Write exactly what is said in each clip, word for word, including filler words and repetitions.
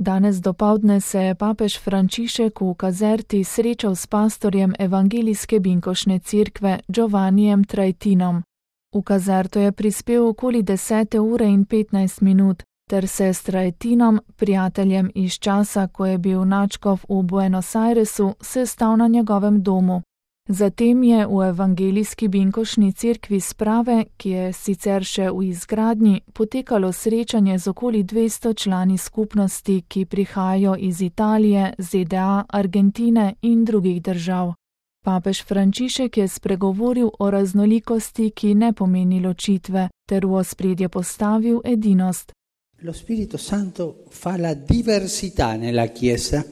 Danes dopoldne se je papež Frančišek v Caserti srečal s pastorjem Evangelijske Binkošne cerkve Giovannijem Traetinom. V Caserto je prispel okoli desete ure in petnajst minut, ter se s Traetinom, prijateljem iz časa, ko je bil nadškof v Buenos Airesu, sestal na njegovem domu. Zatem je v Evangelijski Binkošni cerkvi Sprave, ki je sicer še v izgradnji, potekalo srečanje z okoli dvesto člani skupnosti, ki prihajajo iz Italije, Z D A, Argentine in drugih držav. Papež Frančišek je spregovoril o raznolikosti, ki ne pomeni ločitve, ter v ospredje postavil edinost. Lo Spirito Santo fa la diversità nella Chiesa.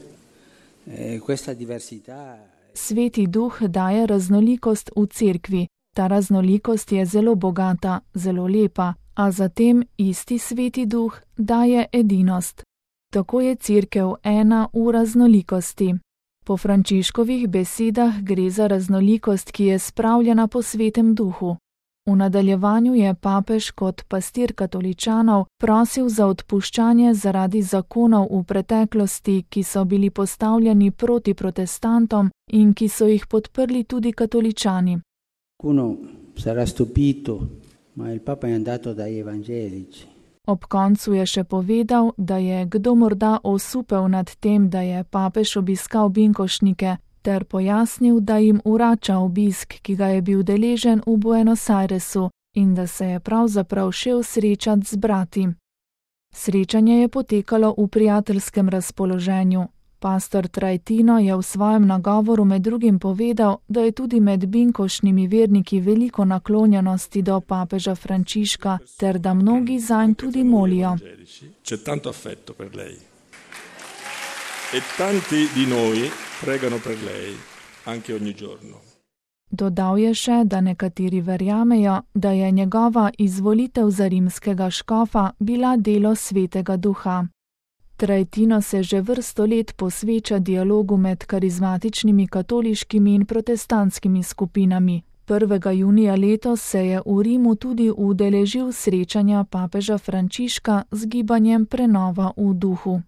Eh, questa diversità Sveti duh daje raznolikost v cerkvi. Ta raznolikost je zelo bogata, zelo lepa, a zatem isti sveti duh daje edinost. Tako je cerkev ena v raznolikosti. Po Frančiškovih besedah gre za raznolikost, ki je spravljena po svetem duhu. V nadaljevanju je papež kot pastir katoličanov prosil za odpuščanje zaradi zakonov v preteklosti, ki so bili postavljeni proti protestantom in ki so jih podprli tudi katoličani. Uno sarà stupito, ma il Papa è andato dai evangelici. Ob koncu je še povedal, da je kdo morda osupel nad tem, da je papež obiskal binkošnike, ter pojasnil, da jim vrača obisk, ki ga je bil deležen v Buenos Airesu in da se je pravzaprav šel srečati z brati. Srečanje je potekalo v prijateljskem razpoloženju. Pastor Traetino je v svojem nagovoru med drugim povedal, da je tudi med binkošnimi verniki veliko naklonjenosti do papeža Frančiška, ter da mnogi zanj tudi molijo. C'è tanto affetto per lei. E tanti di noi pregano per lei anche ogni giorno. Dodal je še, da nekateri verjamejo, da je njegova izvolitev za rimskega škofa bila delo svetega duha. Traetino se že vrsto let posveča dialogu med karizmatičnimi katoliškimi in protestantskimi skupinami. prvega junija letos se je v Rimu tudi udeležil srečanja papeža Frančiška z gibanjem Prenova v duhu.